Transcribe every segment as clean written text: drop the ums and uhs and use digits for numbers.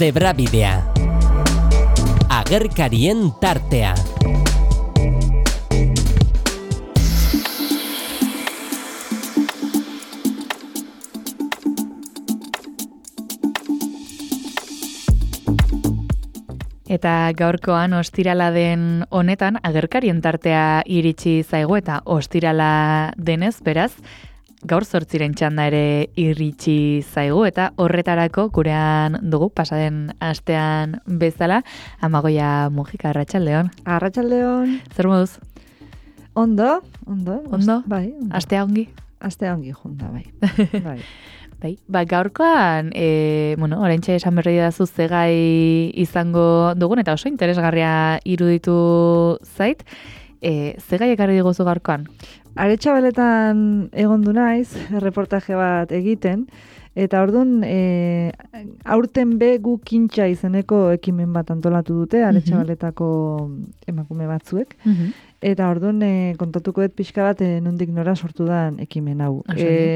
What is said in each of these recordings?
Zebrabidea. Agerkarien tartea. Eta gaurkoan ostirala den honetan agerkarien tartea iritsi zaigu eta ostirala denez, beraz, gaur 8 txanda ere iritsi zaigu eta horretarako gurean dugu pasaden astean bezala Amagoia Mujika, arratsaldeon. Arratsaldeon. Zer moduz? Ondo? Bai. Astea ongi? Astea ongi junta, bai. Bai, gaurkoan, oraintxe esan berri dazu zegai izango dugun, eta oso interesgarria iruditu zait. Zegai ekarri diguzu gaurkoan? Aretxabaletan egondu naiz, reportaje bat egiten, eta orduan, aurten be gu kintxa izeneko ekimen bat antolatu dute, Aretxabaletako emakume batzuek, eta orduan kontatuko dut pixka bat nondik nora sortu dan ekimen hau.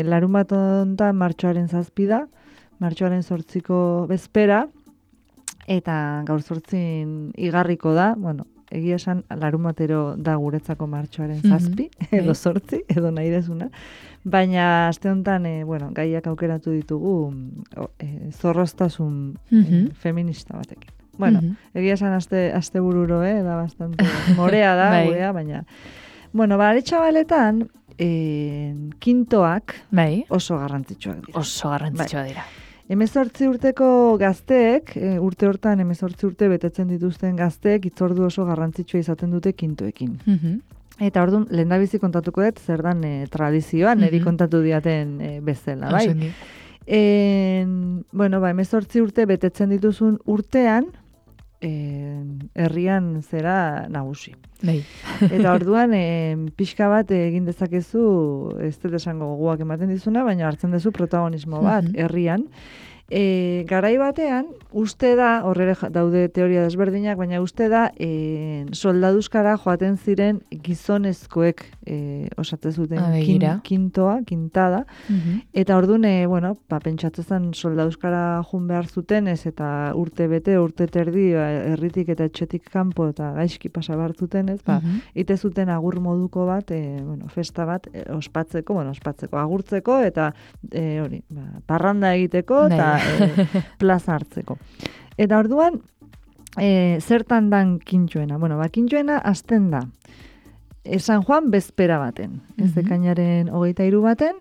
Larun bat onta martxoaren 7 da, martxoaren 8ko bezpera, eta gaur 8 igarriko da, egia esan larun batero da guretzako martxoaren 7, edo 8, edo nahi dezuna, baina aste honetan, gaiak aukeratu ditugu zorroztasun feminista batekin. Egia esan aste bururo, da bastante morea da, gurea, baina... Aretxabaletan, kintoak oso garrantzitsuak dira. Oso garrantzitsuak dira. 18 urteko gazteek, urte hortan 18 urte betetzen dituzten gazteek, itzordu oso garrantzitsua izaten dute kintoekin. Eta orduan, lehendabizi kontatuko dut, zer dan tradizioa, niri kontatu diaten bezala, bai? 18 urte betetzen dituzun urtean, herrian zera nagusi. Eta orduan, pixka bat egin dezakezu, ez dut esango gogoak ematen dizuna, baina hartzen duzu protagonismo bat herrian. Garai batean, uste da, horrela daude teoria desberdinak, baina uste da, soldaduzkara joaten ziren gizonezkoek osatzen zuten kintada, eta orduan, pentsatzen soldaduzkara jun behar zuten, ez eta urte bete, urte terdi, herritik eta etxetik kanpo eta gaizki pasa behar zuten, ez, ite zuten agur moduko bat, festa bat, ospatzeko, agurtzeko, eta parranda egiteko, eta plaza hartzeko. Eta orduan, zertan dan kintxoena? Kintxoena hasten da San Juan bezpera baten, ez ekainaren 23 baten,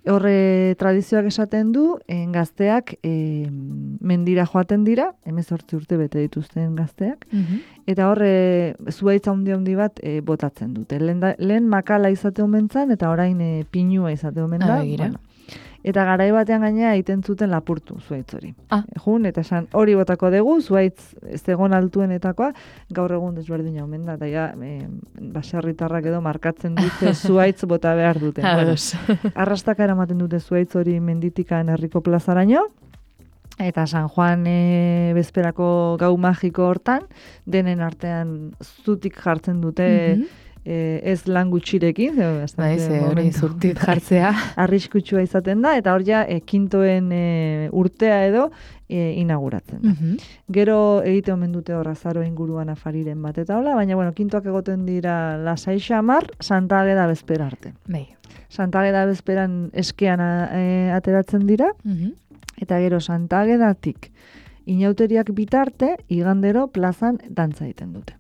horre tradizioak esaten du, gazteak mendira joaten dira, 18 urte bete dituzten gazteak, eta horre zuhaitza handi bat botatzen dute. Lehen makala izate omentzan, eta orain pinua izate omen da. Eta garai batean gainea egiten zuten lapurtu zuhaitz hori. Eta esan hori botako dugu, zuhaitz zegon altuenetakoa, gaur egun desberdina omen da, eta baserritarrak edo markatzen dute zuhaitz bota behar duten. Arrastaka eramaten dute zuhaitz hori menditikan herriko plazaraino, eta San Juan bezperako gau magiko hortan, denen artean zutik jartzen dute, ez lan gutxirekin, hori zurtit jartzea. Arriskutsua izaten da, eta hor ja, kintoen urtea edo inauguratzen da. Gero egite omen dute hor azaro inguruan afariren bat, eta hola, baina, kintoak egoten dira lasai xamar, Santa Ageda bezpera arte. Santa Ageda bezperan eskean ateratzen dira, eta gero Santa Agedatik inauteriak bitarte, igandero plazan dantza egiten dute.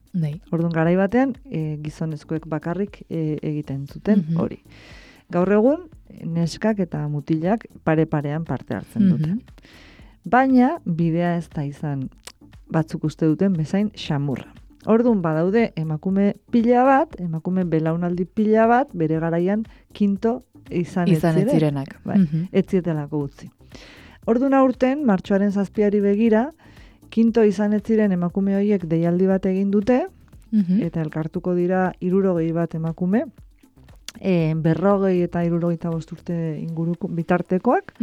Orduan garai batean, gizonezkoek bakarrik egiten zuten hori. Gaur egun, neskak eta mutilak pare-parean parte hartzen dute. Baina, bidea ez da izan batzuk uste duten bezain xamurra. Orduan badaude emakume pila bat, emakume belaunaldi pila bat, bere garaian kinto izan ez zirenak. Ez zietelako utzi. Orduan aurten, martxoaren 7 begira, kinto izan ez ziren emakume horiek deialdi bat egin dute, eta elkartuko dira 60 bat emakume, 40 eta 65 urte inguruko bitartekoak,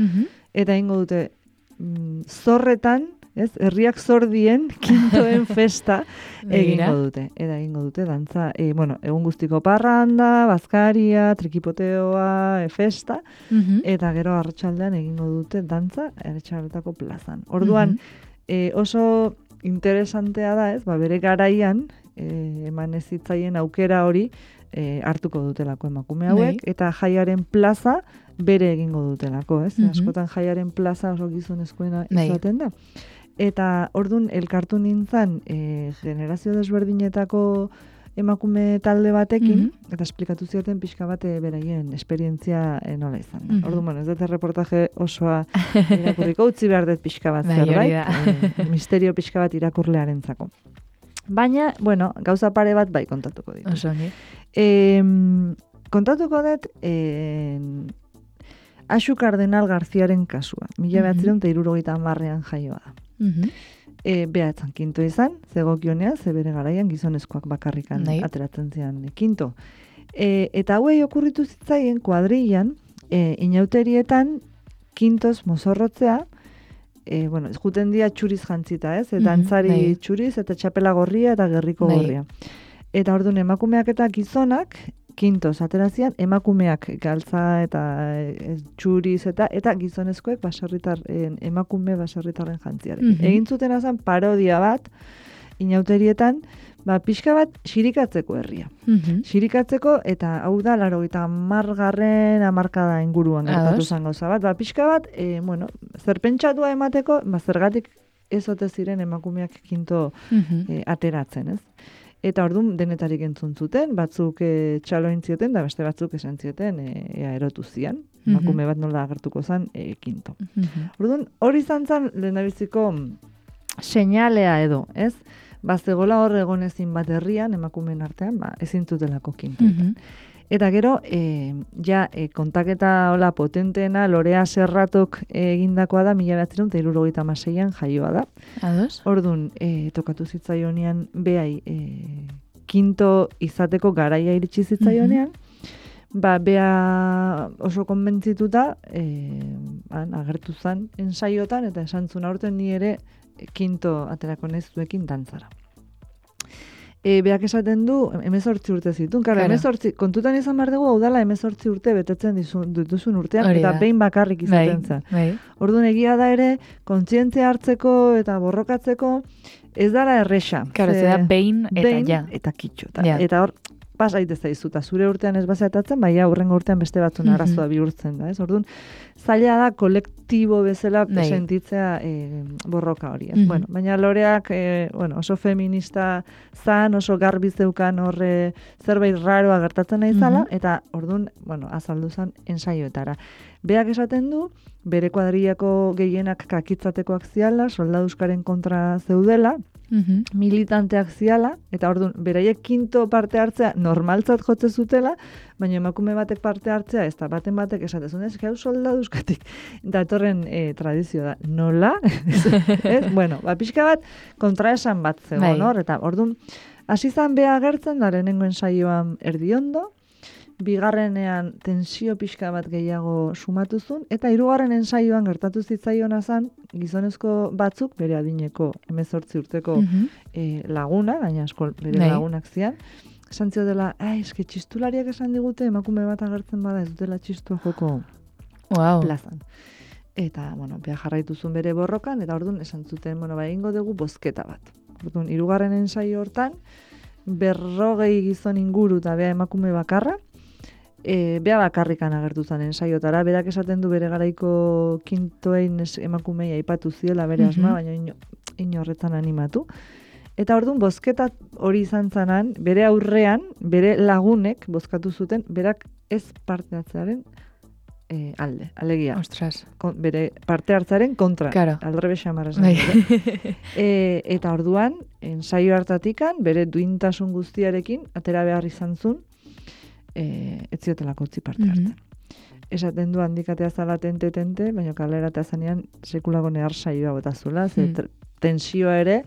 eta ingo dute zorretan, herriak zordien kintoen festa egingo dute. Eta egingo dute dantza, egun guztiko parranda, bazkaria, trikipoteoa, festa, eta gero arratsaldean egingo dute dantza Aretxabaletako plazan. Orduan, oso interesantea da, ez? Bere garaian, eman ez zitzaien aukera hori hartuko dutelako emakume hauek, eta jaiaren plaza bere egingo dutelako, ez? Askotan jaiaren plaza oso gizonezkoena izaten da. Eta ordun elkartu nintzen generazio desberdinetako emakume talde batekin, eta esplikatu zioten pixka bat beraien esperientzia nola izan. Orduan, bueno, ez dut reportaje osoa irakurriko, utzi behar dut pixka bat zerbait, misterio pixka bat irakurlearentzako. Baina, bueno, gauza pare bat bai kontatuko ditu. Kontatuko dut Axu Cardenal Garziaren kasua. 1970ean jaioa da. Behatzen kinto izan, zegokionea, ze bere garaian gizonezkoak bakarrikan ateratzen zian kinto. Eta hauei okurritu zitzaien kuadrillan, inauterietan kintoz mozorrotzea, bueno, juten dia txuriz jantzita, ez? Dantzari txuriz eta txapela gorria eta gerriko gorria. Eta orduan emakumeak eta gizonak kintoz aterazian, emakumeak galtza eta txuriz eta gizonezkoek emakume baserritarren jantziarekin. Egin zuten azan parodia bat, inauterietan, pixka bat xirikatzeko herria. Xirikatzeko, eta hau da, 80. hamarkada inguruan gertatu zen gauza bat. Pixka bat, bueno, zerpentsatua emateko, zergatik ez ote ziren emakumeak kinto ateratzen, ez? Eta orduan denetarik entzun zuten, batzuk txalo entzioten, da beste batzuk esan zioten erotu zian. Emakume bat nola agertuko zen kinto. Orduan hori izan zen lehendabiziko seinalea edo, ez? Zegoela hor egon ezin bat herrian, emakumeen artean, ezin zutelako kinto. Eta gero, kontaketa hola potenteena, Lorea Serratok egindakoa da, 1976an jaioa da. Orduan, tokatu zitzaionean, behai, kinto izateko garaia iritsi zitzaionean, bea oso konbentzituta, agertu zen ensaiotan, eta esan zuen aurten ni ere kinto aterako nezuekin dantzara. Beak esaten du, 18 urte zitun. Kontutan izan behar dugu, hau dala 18 urte betetzen dituzun urtean, eta behin bakarrik izaten zen. Orduan egia da ere, kontzientzia hartzeko eta borrokatzeko, ez dara erresa. Claro, ez da behin eta ja. Eta kitxo. Eta hor, pasaitez zaizuta, zure urtean ez bazeatatzen, baina hurrengo urtean beste batzun arazoa bihurtzen da. Orduan, zaila da kolektibo bezala sentitzea borroka hori. Bueno, baina Loreak oso feminista zan, oso garbi zeukan horre zerbait raroa gertatzen nahi zala, eta orduan, azaldu zan ensaioetara. Beak esaten du, bere kuadrillako gehienak kakitzatekoak ziala, soldaduskaren kontra zeudela, militanteak ziala, eta orduan, beraiek kinto parte hartzea normaltzat jotze zutela, baina emakume batek parte hartzea, ez da baten batek esatezun, ez gau soldaduskatik datorren tradizio da. Nola? Bueno, pixka bat kontraesan bat zegoen hor, eta orduan, hasi zan beha agertzen, da lehenengo ensaioan erdiondo, bigarrenean tensio pixka bat gehiago sumatuzun, eta hirugarren ensaioan gertatu zitzaiona zan, gizonezko batzuk, bere adineko 18 urteko laguna, gaina asko bere lagunak zian, esan zio dela, eske txistulariak esan digute, emakume bat agertzen bada ez dutela txistua joko plazan. Eta, beha jarraituzun bere borrokan, eta orduan esan zuten, egingo dugu bozketa bat. Orduan, hirugarren ensaio hortan, 40 gizon inguru eta beha emakume bakarra, bea bakarrikan agertu zen ensaiotara, berak esaten du bere garaiko kintoein emakumei aipatu ziela bere asma, baina inorretan animatu. Eta orduan, bozketa hori izan zanan, bere aurrean, bere lagunek bozkatu zuten, berak ez parte hartzearen alde, alegia. Ostras. Bere parte hartzaren kontra. Claro. Aldrebe xamarra. Eta orduan, ensaio hartatikan, bere duintasun guztiarekin, atera behar izan zuen, ez ziotelako utzi parte hartzen. Esaten du handikatea zala tente, baina kaleratea zanean sekulako nehar saioa botazula, tensioa ere,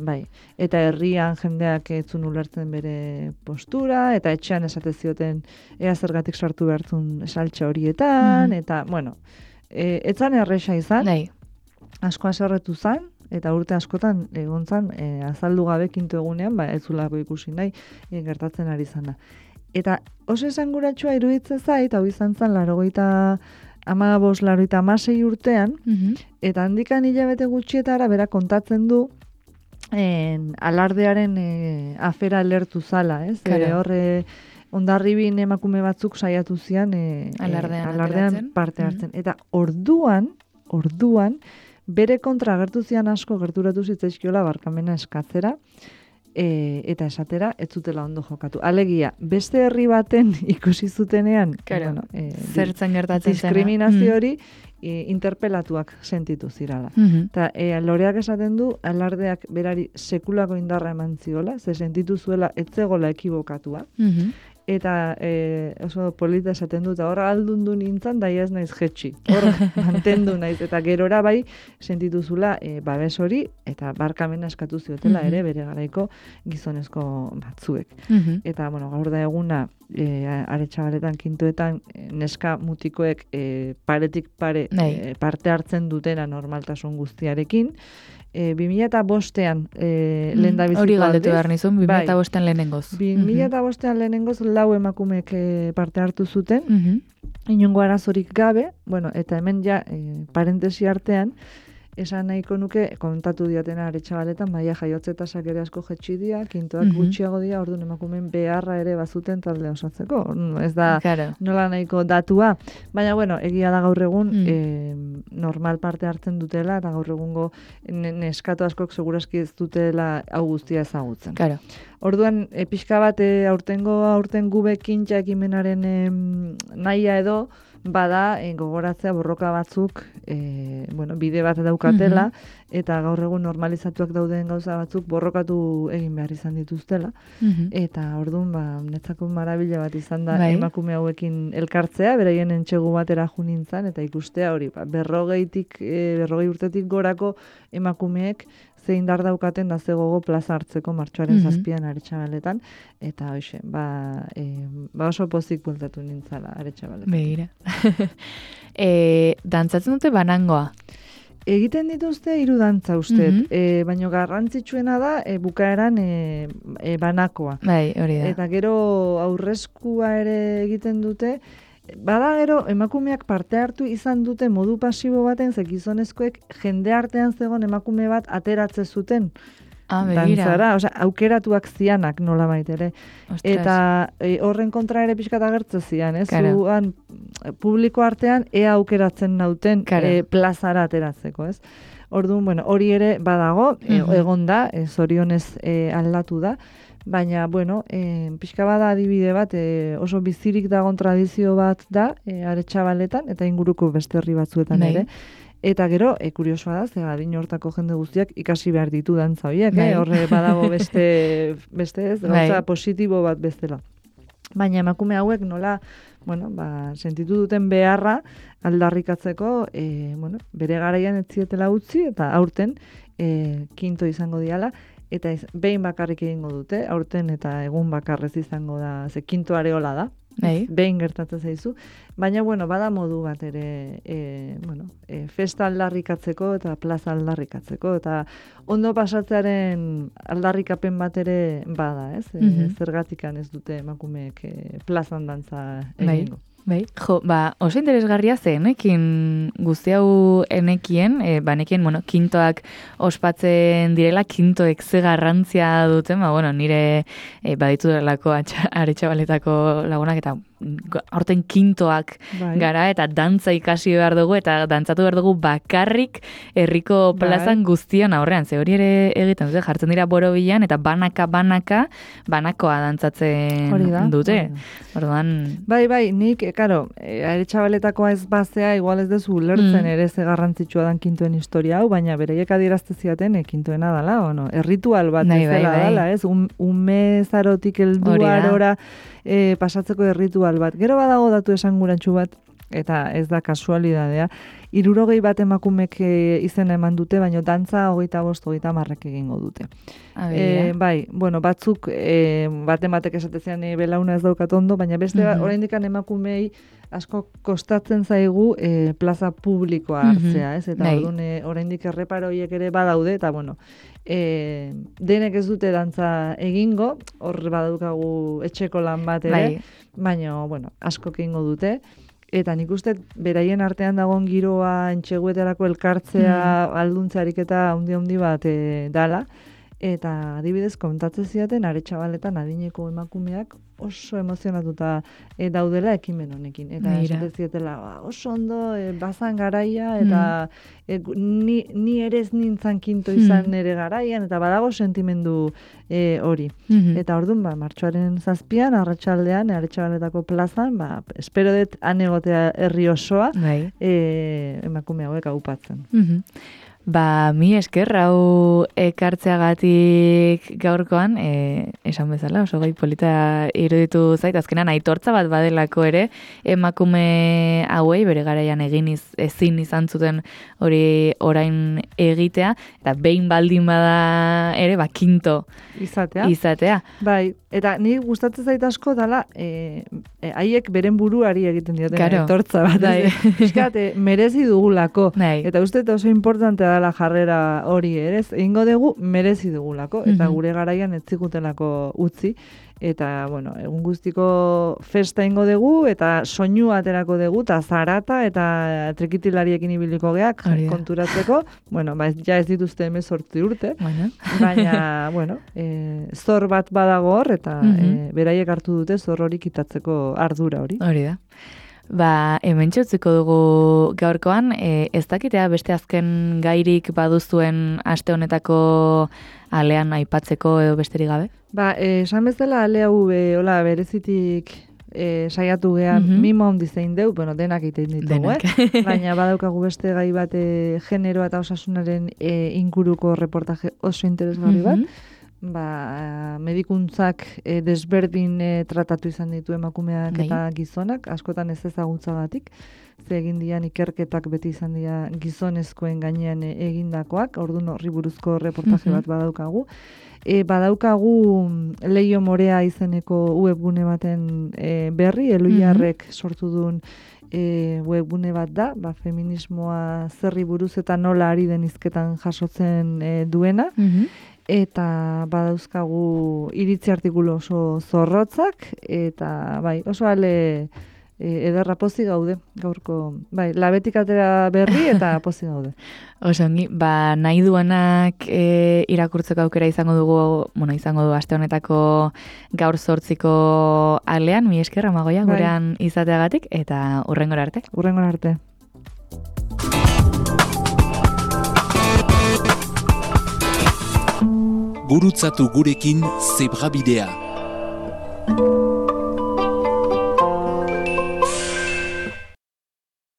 bai. Eta herrian jendeak etzun ulertzen bere postura, eta etxean esate zioten ea zergatik sartu behartzun saltxa horietan, eta, etzan erresa izan, asko aserretu zan, eta urte askotan egon zan, azaldu gabe kinto egunean, ez zulako ikusi nahi, gertatzen ari zana. Eta oso esanguratsua iruditzen zait, hau izan zen, 80 15-86 urtean, eta handikan hilabete gutxietara bera kontatzen du alardearen afera lertu zala, ez? Horre Hondarribin emakume batzuk saiatu zian alardean parte hartzen. Eta orduan, bere kontra agertu zian asko gerturatu zitzaizkiola barkamena eskatzera, eta esatera ez zutela ondo jokatu. Alegia, beste herri baten ikusi zutenean, zertzen gertatzen zen. Diskriminazio hori interpelatuak sentitu zirala. Eta Loreak esaten du, alardeak berari sekulako indarra eman ziola, ze sentitu zuela etzegola ekibokatua. Eta oso polita esaten dut, hor aldundu nintzen, daia ez naiz jetxi. Hor mantendu naiz, eta gerora bai sentituzula babes hori, eta barkamena eskatu ziotela ere bere garaiko gizonezko batzuek. Eta, gaur da eguna, Aretxabaletan, kintoetan, neska mutikoek paretik pare parte hartzen dutena normaltasun guztiarekin. 2005an lehen da biziko hori galdetu behar nizun, 2005an lehenengoz. 2005an lehenengoz 4 emakumeek parte hartu zuten, inongo arazorik gabe, eta hemen ja, parentesi artean, esan nahiko nuke, kontatu diatena Aretxabaletan, maia jaiotze tasak ere asko jetxi dira, kintoak gutxiago dira, orduan emakumeen beharra ere bazuten talde osatzeko. Ez da nola nahiko datua. Baina, egia da gaur egun normal parte hartzen dutela, eta gaur egungo neskatu askok segurazki ez dutela hau guztia ezagutzen. Orduan, pixka bat aurten gube kintxa ekimenaren nahia edo, bada gogoratzea borroka batzuk bide bat daukatela eta gaur egun normalizatuak dauden gauza batzuk borrokatu egin behar izan dituztela eta orduan netzako marabila bat izan da emakume hauekin elkartzea, beraien entxegu batera jo nintzen eta ikustea hori 40 urtetik gorako emakumeek zein dar daukaten da zegogo plaza hartzeko martxoaren 7an Aretxabaletan, eta hoxe, oso pozik bultatu nintzala Aretxabaletan. Begira. Dantzatzen dute banangoa? Egiten dituzte 3 dantza ustet, baina garrantzitsuena da bukaeran banakoa. Bai, hori da. Eta gero aurreskua ere egiten dute, bada gero emakumeak parte hartu izan dute modu pasibo baten, ze gizonezkoek jende artean zegoen emakume bat ateratze zuten. Dantzara, aukeratuak zianak nola ere. Eta horren kontra ere pixkat agertze zian, ez? Zuan publiko artean ea aukeratzen nauten plazara ateratzeko, ez? Orduan, hori ere badago, egon da, zorionez aldatu da, baina, pixka bada adibide bat, oso bizirik dagon tradizio bat da, Aretxabaletan, eta inguruko beste herri batzuetan ere. Eta gero, kuriosoa da, ze adin hortako jende guztiak ikasi behar ditu dantza horiek, horre badago beste ez, gauza positibo bat bestela. Baina emakume hauek nola, sentitu duten beharra aldarrikatzeko, bere garaian ez zietela utzi, eta aurten kinto izango diala, eta behin bakarrik egingo dute, aurten eta egun bakarrez izango da, ze kinto areola da, behin gertatzen zaizu, baina, bada modu bat ere, festa aldarrikatzeko eta plaza aldarrikatzeko, eta ondo pasatzearen aldarrikapen bat ere bada, ez? Zergatikan ez dute emakumeek plazan dantza egingo. Bai, oso interesgarria enekin guzti hau enekien, kintoak ospatzen direla, kintoek ze garrantzia duten, nire baditu delako Aretxabaletako lagunak, eta aurten kintoak gara, eta dantza ikasi behar dugu, eta dantzatu behar dugu bakarrik herriko plazan guztion aurrean, ze hori ere egiten dute, jartzen dira borobilan, eta banakoa dantzatzen dute. Orduan... Bai, nik, Aretxabaletakoa ez bazea, igual ez dezu lertzen ere ze garrantzitsua dan kintoen historia hau, baina bereiek adierazte ziaten kintoena dala, erritual bat bezala dala, ez? Ume zarotik heldu arora pasatzeko erritual bat. Gero badago datu esangurantxu bat, eta ez da kasualidadea, 60 bat emakumek izena eman dute, baina dantza 25-30 egingo dute. Batzuk batek esatezean belauna ez daukat ondo, baina beste oraindik emakumei asko kostatzen zaigu plaza publikoa hartzea, ez? Eta oraindik erreparo horiek ere badaude, eta denek ez dute dantza egingo, hor badaukagu etxeko lan bat ere, baina asko egingo dute. Eta nik uste beraien artean dagoen giroa entxeguetarako elkartzea alduntzarik eta handi bat dala. Eta adibidez kontatzen zidaten Aretxabaletan adineko emakumeak oso emozionatuta daudela ekimen honekin. Eta esaten zietela oso ondo bazan garaia eta ni ere ez nintzan kinto izan nere garaian eta badago sentimendu hori. Eta orduan martxoaren 7an arratsaldean Aretxabaletako plazan espero dut han egotea herri osoa emakume hauek aupatzen. Mi esker hau ekartzeagatik gaurkoan, esan bezala, oso gai polita iruditu zait, azkenan aitortza bat badelako ere, emakume hauei bere garaian ezin izan zuten hori orain egitea, eta behin baldin bada ere, kinto izatea. Bai, eta ni gustatzen zait asko dala, haiek beren buruari egiten dioten aitortza bat. Fiskat, merezi dugulako. Eta uste oso importantea dela jarrera hori ere, egingo dugu merezi dugulako, eta gure garaian ez zigutelako utzi, eta, egun guztiko festa ingo dugu, eta soinu aterako dugu, eta zarata, eta trikitilariekin ibiliko geak, konturatzeko, ja ez dituzte 18 urte, baina, zor bat badago hor, eta beraiek hartu dute zor hori kitatzeko ardura hori. Hori da. Hemen txutziko dugu gaurkoan, ez dakitea beste azken gairik baduzuen aste honetako alean aipatzeko edo besterik gabe? Esan bezala ale hau berezitik saiatu gehan mimo handi zein deu, denak egiten ditugu, baina badaukagu beste gai bat genero eta osasunaren inguruko reportaje oso interesgarri bat, medikuntzak desberdin tratatu izan ditu emakumeak eta gizonak, askotan ez ezagutzagatik, ze egin dian ikerketak beti izan dira gizonezkoen gainean egindakoak, orduan horri buruzko reportaje bat badaukagu. Badaukagu Leio Morea izeneko webgune baten berri, Eluiarrek sortu duen webgune bat da, feminismoa zerri buruz eta nola ari den hizketan jasotzen duena, eta badauzkagu iritzi artikulu oso zorrotzak, eta oso ale ederra pozik gaude, gaurko, labetik atera berri eta pozik gaude. Osongi, nahi duenak irakurtzeko aukera izango du aste honetako gaur 8ko alean, mi esker Amagoia gurean izateagatik, eta hurrengora arte. Hurrengora arte. Gurutzatu gurekin Zebrabidea.